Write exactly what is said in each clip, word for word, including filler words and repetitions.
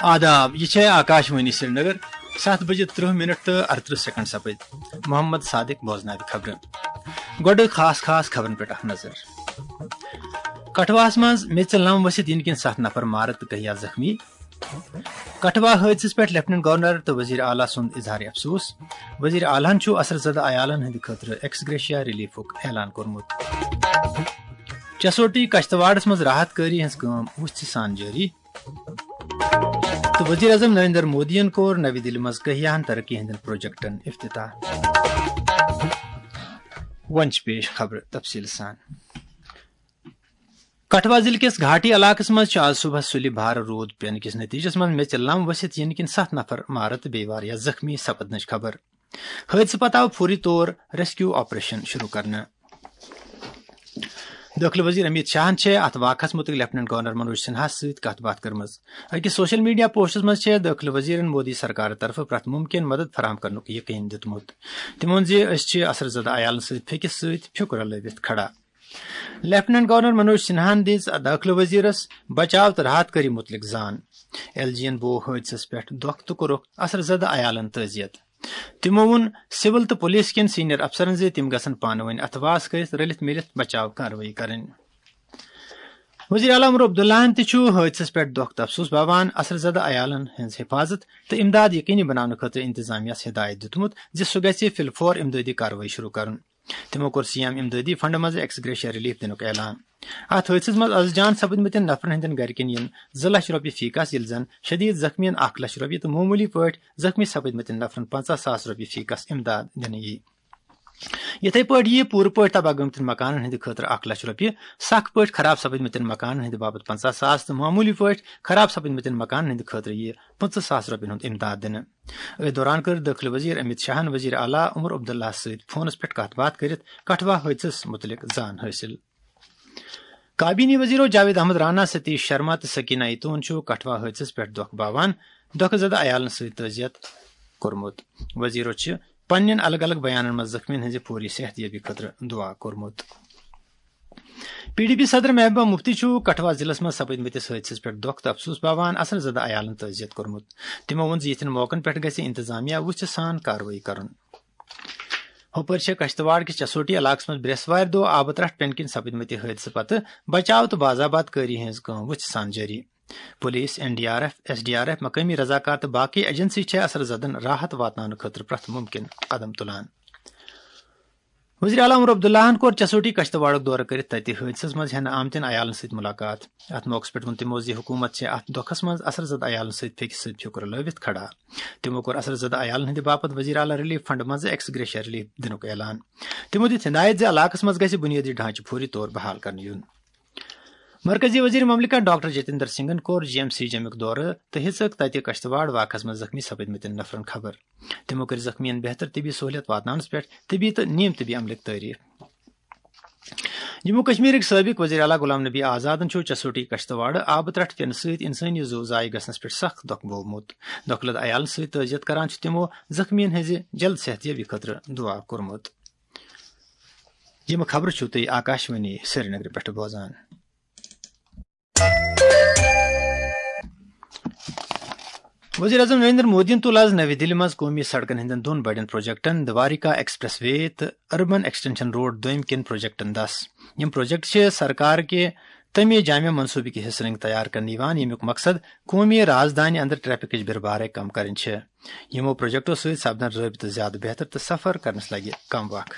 آداب، یہِ چھےٚ آکاشوانی سرینگر۔ ستھ بجے ترٕہ منٹ تہٕ ارترٕہ سیکنڈ سپٕدۍ۔ محمد صادق بوزناوِ خبرٕ۔ گۄڈٕ خاص خاص خبرن پٮ۪ٹھ اکھ نظر۔ کٹھواہس منٛز میژِ لم ؤسِتھ یِنہٕ کِنۍ ستھ نفر مارٕ تہٕ کٔہیا زخمی۔ کٹھوا حٲدثس پٮ۪ٹھ لیفٹیننٹ گورنر تہٕ وزیر اعلیٰ سُنٛد اظہار افسوس۔ وزیر اعلیٰ ہن چھُ اثر زدٕ عیالن ہٕنٛدِ خٲطرٕ ایکس گریشیا ریلیفُک اعلان کوٚرمُت۔ چسوٹی کشتواڑس منٛز راحت کٲری ہٕنٛز کٲم وُژھِ سان جٲری۔ تہٕ وزیر اعظم نریندر مودیَن کوٚر نَوِ دِلہِ منٛز کٔہیاہن ترقی ہٕنٛدٮ۪ن پروجیکٹن افتتاح۔ وۄنۍ چھِ پیش خبرٕ تفصیٖل سان۔ کٹھوا ضلعہٕ کِس گھاٹی علاقس منٛز چھِ آز صبحس سُلہِ بھارٕ روٗد پینہٕ کِس نتیجس منٛز میژِ لم ؤسِتھ یِنہٕ کِنۍ ستھ نفر مارٕ تہٕ بیٚیہِ واریاہ زخمی سپدنٕچ خبر۔ حٲدثہٕ پتہٕ آو فوری طور ریسکیو آپریشن شروع کرنہٕ۔ دٲخلہٕ وزیر امیت شاہن چھےٚ اتھ واقعس مُتعلق لیفٹیننٹ گورنر منوج سنہاہس سۭتۍ کتھ باتھ کٔرمٕژ۔ أکِس سوشل میڈیا پوسٹس منٛز چھےٚ دٲخلہٕ وزیرن مودی سرکارٕ طرفہٕ پرٛٮ۪تھ مُمکِن مدد فراہم کرنُک یقین دیُتمُت۔ تِمو ووٚن زِ أسۍ چھِ اثر زدٕ عیالن سۭتۍ پھیٚکِس سۭتۍ پھیُک رلٲوِتھ کھڑا۔ لیفٹیننٹ گورنر منوج سنہاہن دِژ دٲخلہٕ وزیرس بچاو تہٕ راحت کٲری مُتعلق زان۔ ایل جی ین بوو حٲدثس پٮ۪ٹھ دۄکھ تہٕ کوٚرُکھ اثر زدٕ عیالن تعزیت۔ تِمو ووٚن، سول تہٕ پولیس کٮ۪ن سینئر افسرن زِ تِم گژھن پانہٕ ؤنۍ اتھہٕ واس کٔرِتھ رٔلِتھ مِلِتھ بچاو کاروٲیی کرٕنۍ۔ وزیر اعلیٰ عمر عبداللہن تہِ چھُ حٲدثس پٮ۪ٹھ دۄکھ تہٕ افسوس باوان۔ اثر زدٕ عیالن ہٕنٛز حفاظت تہٕ امداد یقینی بناونہٕ خٲطرٕ انتظامیہ ہس ہدایت دیُتمُت زِ سُہ گژھِ فلفور امدادی کاروٲیی شروع کرُن۔ تِمو کوٚر سی ایم امدادی فنڈ منٛز ایکس گریشیا ریلیف دِنُک اعلان۔ اتھ حٲدثس منٛز از جان سپٕدمٕتٮ۪ن نفرن ہٕنٛدٮ۪ن گرِکٮ۪ن یِن زٕ لچھ رۄپیہِ فی کس، ییٚلہِ زن شدید زخمیَن اکھ لچھ رۄپیہِ تہٕ معموٗلی پٲٹھۍ زخمی سپٕدمٕتٮ۪ن نفرن پنژاہ ساس رۄپیہِ فی کس امداد دِنہٕ یِیہِ۔ یِتھے پٲٹھۍ یِیہِ پوٗرٕ پٲٹھۍ تباہ گٔمتٮ۪ن مکانن ہٕنٛدِ خٲطرٕ اکھ لچھ رۄپیہِ، سخ پٲٹھۍ خراب سپٕدمٕتٮ۪ن مکانن ہٕنٛدِ باپتھ پنژاہ ساس تہٕ معموٗلی پٲٹھۍ خراب سپٕدمٕتٮ۪ن مکانن ہٕنٛدِ خٲطرٕ یِیہِ پٕنٛژٕہ ساس رۄپین ہُنٛد امداد دِنہٕ۔ أتھۍ دوران کٔر دٲخلہٕ وزیر امیت شاہن وزیر اعلیٰ عمر عبداللہس سۭتۍ فونس پٮ۪ٹھ کتھ باتھ کٔرِتھ کٹھوا حٲدثس مُتعلق زان حٲصِل۔ کابینی وزیرو جاوید احمد رانا، ستیش شرما تہٕ سکینہ ایتون چھُ کٹھوا حٲدثس پٮ۪ٹھ دۄکھ باوان دۄکھٕ زدٕ عیالن سۭتۍ تعزیت کوٚرمُت۔ وزیرو چھِ پننٮ۪ن الگ الگ بیانن منٛز زخمیَن ہٕنٛزِ فوری صحت یابی خٲطرٕ دعا کوٚرمُت۔ پی ڈی پی صدر محبوبہ مفتی چھُ کٹھوا ضلعس منٛز سپٕدمٕتِس حٲدثس پٮ۪ٹھ دۄکھ تہٕ افسوس باوان اثر زدٕ عیالن تعزیت کوٚرمُت۔ تِمو ووٚن زِ یِتھٮ۪ن موقعن پٮ۪ٹھ گژھِ انتظامیہ وُژھِ سان کاروٲیی کرُن۔ ہُپٲرۍ چھےٚ کشتواڑ کِس چسوٹی علاقس منٛز برٛٮ۪سوارِ دۄہ آبہٕ ترٛٹھ پٮ۪نہٕ کِنۍ سپٕدمٕتہِ حٲدثہٕ پتہٕ بچاو تہٕ بازآباد کٲری ہٕنٛز کٲم وُژھِ سان جٲری۔ Police, N D R F, S D R F, مقٲمی رضاکار تہٕ باقٕے ایجنسی چھےٚ اثر زدن راحت واتناونہٕ خٲطرٕ پرٛٮ۪تھ مُمکِن قدم تُلان۔ وزیر اعلیٰ عمر عبداللہن کوٚر چسوٹی کشتواڑُک دورٕ کٔرِتھ تتہِ حٲدثس منٛز ہٮ۪نہٕ آمتٮ۪ن عیالن سۭتۍ مُلاقات۔ اتھ موقعس پٮ۪ٹھ ووٚن تِمو زِ حکوٗمت چھےٚ اتھ دۄکھس منٛز اثر زدٕ عیالن سۭتۍ پھیٚکہِ سۭتۍ پھیُک رلٲوِتھ کھڑا۔ تِمو کوٚر اثر زدٕ عیالن ہٕنٛدِ باپتھ وزیر اعلیٰ ریلیف فنڈ منٛز ایکس گریشیا ریلیف دِنُک اعلان۔ تِمو دِژ ہدایت زِ علاقس منٛز گژھِ بنیٲدی ڈھانچہٕ فوری طور بحال کرنہٕ یُن۔ مرکزی وزیر مملکت ڈاکٹر جتیندر سنگھن کوٚر جی ایم سی جمیُک دورٕ تہٕ ہیٚژٕکھ تتہِ کشتواڑ واقعس منٛز زخمی سپٕدمٕتٮ۪ن نفرن خبر۔ تِمو کٔرۍ زخمیَن بہتر طبی سہولیت واتناونس پٮ۪ٹھ طبی تہٕ نیم طبی عملٕکۍ تعریف۔ جموں کشمیرٕکۍ سٲبق وزیر اعلیٰ غلام نبی آزادن چھُ چسوٹی کشتواڑٕ آبہٕ ترٛٹھ پینہٕ سۭتۍ انسٲنی زُو ضایع گژھنس پٮ۪ٹھ سخ دۄکھ بوومُت۔ دۄکھٕ لد عیالن سۭتۍ تعزیت کران چھِ تِمو زخمیَن ہٕنٛزِ جلد صحت یابی خٲطرٕ دعا کوٚرمُت۔ یِم خبرٕ چھِو تُہۍ آکاشوانی سرینگرٕ پٮ۪ٹھ بوزان۔ وزیر اعظم نریندر مودیَن تُل آز نَوِ دِلہِ منٛز قومی سڑکن ہٕنٛدٮ۪ن دۄن بڑٮ۪ن پروجیکٹن دوارکا ایکسپریس وے تہٕ اربن ایکسٹینشن روڈ دوٚیِم کٮ۪ن پروجیکٹن دَس۔ یِم پروجیکٹ چھِ سرکار کہِ تَمہِ جامع منصوٗبہٕ کہِ حصہٕ رٔنٛگۍ تیار کرنہٕ یِوان، ییٚمیُک مقصد قومی رازدانہِ اندر ٹریفکٕچ بِربارے کم کرٕنۍ چھِ۔ یِمو پروجیکٹو سۭتۍ سپدن رٲبطہٕ زیادٕ بہتر تہٕ سفر کرنس لگہِ کم وق۔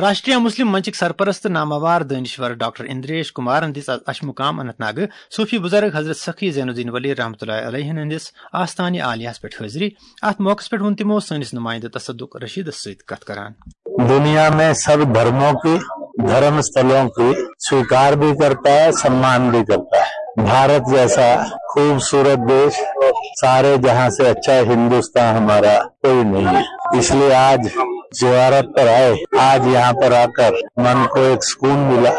راشٹریہ مسلم منچٕکۍ سرپرست نامور دٲنِشور ڈاکٹر اندریش کمارن دِژ از اشمقام اننت ناگہٕ صوفی بزرگ حضرت سخی زین الدین ولی رحمتہ اللہ علیہ ہٕنٛدِس آستانہِ عالیہس پٮ۪ٹھ حٲضری۔ اتھ موقعس پٮ۪ٹھ ووٚن تِمو، سٲنِس نمائندٕ تصدق رشیدس سۭتۍ کتھ کران۔ दुनिया में सब धर्मों की, धर्म स्थलों की स्वीकार भी करता है, सम्मान भी करता है। भारत जैसा खूबसूरत देश, सारे जहां से अच्छा हिंदुस्तान हमारा कोई नहीं है। इसलिए आज जियारत पर आए, आज यहाँ पर आकर मन को एक सुकून मिला।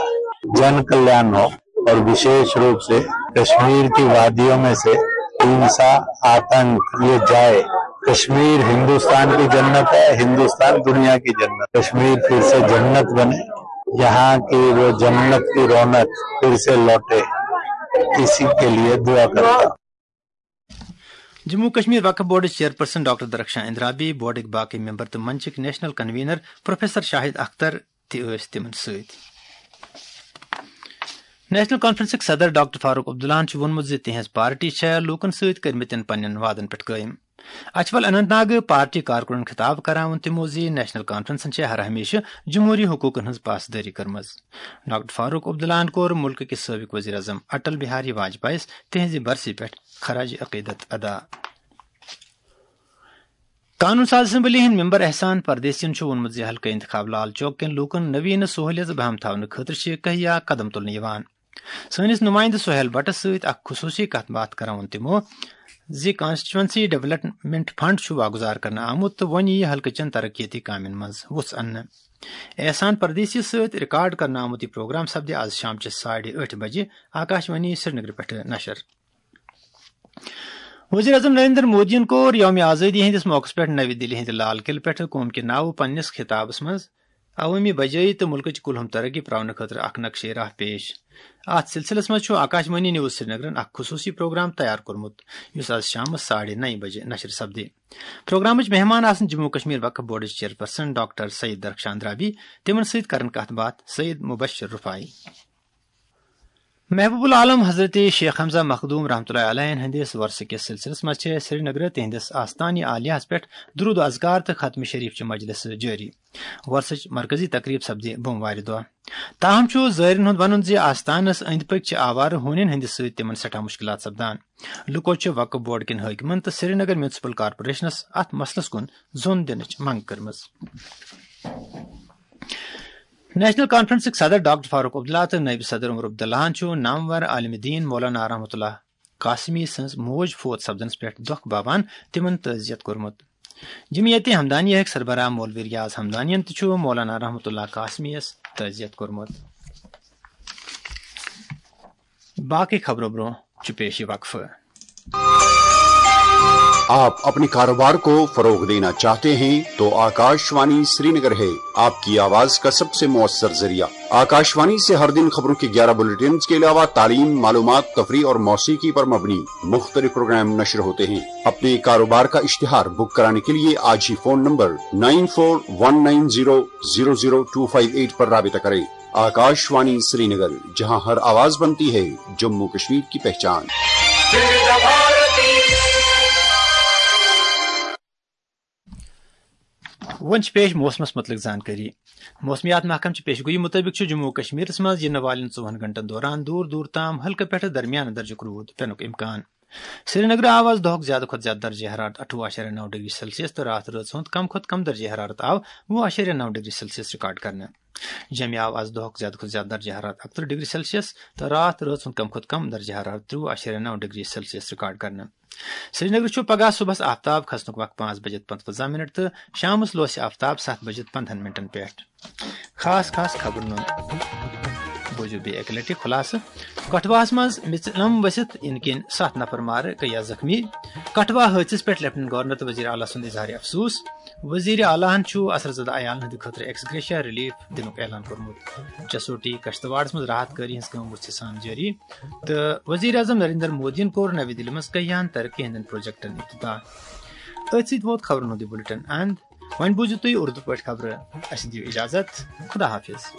जन कल्याण हो और विशेष रूप से कश्मीर की वादियों में से हिंसा, आतंक ये जाए। कश्मीर हिंदुस्तान की जन्नत है, हिंदुस्तान दुनिया की जन्नत। कश्मीर फिर से जन्नत बने, यहाँ की वो जन्नत की रौनक फिर से लौटे। इसी के लिए दुआ करता। جموں کشمیر وقف بورڈٕچ چیئرپرسن ڈاکٹر درخشاں اندرابی، بورڈٕکۍ باقٕے ممبر تہٕ منچٕکۍ national convener professor Shahid Akhtar تہِ ٲسۍ تِمن سۭتۍ۔ نیشنل کانفرنسٕکۍ صدر ڈاکٹر فاروق عبداللہن چھُ ووٚنمُت زِ تِہنٛز پارٹی چھےٚ لوٗکن سۭتۍ کٔرمٕتٮ۪ن پننٮ۪ن وعدن پٮ۪ٹھ قٲیِم۔ اچھول اننت ناگ پارٹی کارکُنن خطاب کران ووٚن تِمو زِ نیشنل کانفرنسن چھےٚ ہر ہمیشہٕ جمہوری حقوقن ہٕنٛز پاسدٲری کٔرمٕژ۔ ڈاکٹر فاروق عبداللہن کوٚر مُلکہٕ کِس سٲبِق وزیر اعظم اٹل بہاری واجپایس تِہنٛزِ برسی پٮ۪ٹھ خراج عقیدت ادا۔ قانون ساز اسمبلی ہٕنٛدۍ ممبر احسان پردیسین چھُ ووٚنمُت زِ حلقہٕ انتخاب لال چوک کٮ۪ن لوٗکن نویٖنہٕ سہوٗلیژ بہم تھاونہٕ خٲطرٕ چھِ کہیا قدم تُلنہٕ یِوان۔ سٲنِس نُمٲیندٕ سہیل بٹس سۭتۍ اکھ خصوٗصی کتھ باتھ کران ووٚن تِمو زِ کانسٹیچوئنسی ڈیولپمنٹ فنڈ چھُ واگُزار کرنہٕ آمُت تہٕ وۄنۍ یِیہِ حلقہٕ چٮ۪ن ترقیتی کامٮ۪ن منٛز وُژھ اننہٕ۔ احسان پردیسی سۭتۍ ریکارڈ کرنہٕ آمُت یہِ پروگرام سپدِ آز شام چہِ ساڑِ ٲٹھِ بجہِ آکاشوانی سرینگرٕ پٮ۪ٹھٕ نشر۔ وزیر اعظم نریندر مودیَن کوٚر یوم آزٲدی ہٕنٛدِس موقعس پٮ۪ٹھ نَوِ دِلہِ ہٕنٛدِ لال قلعہٕ پٮ۪ٹھٕ قوم کہِ ناوٕ پننِس خطابس منٛز عوٲمی بجٲیی تہٕ مُلکٕچ کُلہُم ترقی پراونہٕ خٲطرٕ اکھ نقشے راہ پیش۔ اتھ سلسلس منٛز چھُ آکاشوانی نیوز سرینگرن اکھ خصوٗصی پروگرام تیار کوٚرمُت، یُس آز شامس ساڑِ نَیہِ بجہِ نشر سپدِ۔ پروگرامٕچ مہمان آسن جموں کشمیر وقف بورڈٕچ چیئرپرسن ڈاکٹر سید درخشان درابی، تِمن سۭتۍ کرن کتھ باتھ سید مبشر رفاعی۔ محبوب العالم حضرت شیخ حمزہ مخدوم رحمتہ اللہ علیہ ہٕنٛدِس وۄرثہٕ کِس سلسلس منٛز چھِ سرینگرٕ تِہنٛدِس آستانہِ عالیہس پٮ۪ٹھ درود و اذکار تہٕ ختم شریف چہِ مجلسہٕ جٲری۔ وۄرثٕچ مرکزی تقریب سپدِ بوموارِ دۄہ۔ تاہم چھُ زٲیرن ہُنٛد ونُن زِ آستانس أنٛدۍ پٔکۍ چھِ آوارٕ ہونٮ۪ن ہٕنٛدِ سۭتۍ تِمن سٮ۪ٹھاہ مُشکلات سپدان۔ لُکو چھِ وقف بورڈ کٮ۪ن حٲکمن تہٕ سرینگر میونسپل کارپوریشنس اتھ مسلس کُن زوٚن دِنٕچ منٛگ کٔرمٕژ۔ نیشنل کانفرنسٕکۍ صدر ڈاکٹر فاروق عبداللہ تہٕ نٲیِب صدر عمر عبداللہن چھُ نامور عالم دین مولانا رحمتہ اللہ قاسمی سٕنٛز موج فوت سپدنس پٮ۪ٹھ دۄکھ باوان تِمن تعزیت کوٚرمُت۔ جمعیت ہمدانیہٕکۍ سربراہ مولوی ریاض ہمدانین تہِ چھُ مولانا رحمتہ اللہ قاسمی یس تعزیت کوٚرمُت۔ باقٕے خبرو برونٛہہ چھُ پیش یہِ وقفہٕ۔ آپ اپنے کاروبار کو فروغ دینا چاہتے ہیں تو آکاشوانی سرینگر ہے آپ کی آواز کا سب سے مؤثر ذریعہ۔ آکاشوانی سے ہر دن خبروں کے گیارہ بلیٹنز کے علاوہ تعلیم، معلومات، تفریح اور موسیقی پر مبنی مختلف پروگرام نشر ہوتے ہیں۔ اپنے کاروبار کا اشتہار بک کرانے کے لیے آج ہی phone number nine four one nine zero zero zero two five eight پر رابطہ کریں۔ آکاشوانی سرینگر، جہاں ہر آواز بنتی ہے جموں کشمیر کی پہچان۔ وۄنۍ چھِ پیش موسمس متعلق زانکٲری۔ موسمیات محکمہٕ چہِ پیشگویی مُطٲبِق چھُ جموں و کشمیرس منٛز یِنہٕ والٮ۪ن ژوٚوُہن گھنٹن دوران دوٗر دوٗر تام ہلکہٕ پٮ۪ٹھٕ درمیانہٕ درجُک روٗد پینُک امکان۔ سرینگرٕ آو آز دۄہُک زیادٕ کھۄتہٕ زیادٕ درجہ حرارت اَٹھووُہ اَشاریہ نَو ڈگری سیلسیس تہٕ راتھ رٲژ ہُنٛد کم کھۄتہٕ کم درجہ حرارت آو وُہ اَشاریہ نَو ڈگری سیلسیس ریکارڈ کرنہٕ۔ جوٚمہِ آو آز دۄہُک زیادٕ کھۄتہٕ زیادٕ درجہ حرارت اَکترٕہ ڈگری سیلسیس تہٕ راتھ رٲژ ہُنٛد کم کھۄتہٕ کم درجہ حرارت ترٛوٚوُہ اَشاریہ نَو ڈگری سیلسیس ریکارڈ کرنہٕ۔ سرینگرٕ چھُ پگہہ صُبحس آفتاب کھسنُک وقت پانٛژھ بجے پنٛژوَنٛزاہ منٹ تہٕ شامس لوسہِ آفتاب ستھ بجے پنٛدہن منٹن پٮ۪ٹھ۔ خاص خاص خبرن ہُنٛد بوٗزِو بیٚیہِ اَکہِ لٹہِ خُلاصہٕ۔ کٹھواہس منٛز میژِ لم ؤسِتھ یِنہٕ کِنۍ ستھ نفر مارٕ، کٔیہ زخمی۔ کٹھوا حٲدثس پٮ۪ٹھ لیفٹیننٹ گورنر تہٕ وزیر اعلیٰ سُنٛد اظہار افسوس۔ وزیر اعلیٰ ہن چھُ اثر زدہ عیالن ہٕنٛدِ خٲطرٕ ایکس گریشیا ریلیف دِنُک اعلان کوٚرمُت۔ جسوٹی کشتواڑس منٛز راحت کٲری ہٕنٛز کٲم وُچھِ سان جٲری۔ تہٕ وزیر اعظم نریندر مودیَن کوٚر نَوِ دِلہِ منٛز کٔہیاہن ترقی ہٕنٛدٮ۪ن پروجیکٹن افتتاح۔ أتھۍ سۭتۍ ووت خبرن ہُنٛد یہِ بُلٹن اند۔ وۄنۍ بوٗزِو تُہۍ اردو پٲٹھۍ خبرٕ۔ اَسہِ دِیِو اجازت۔ خدا حافظ۔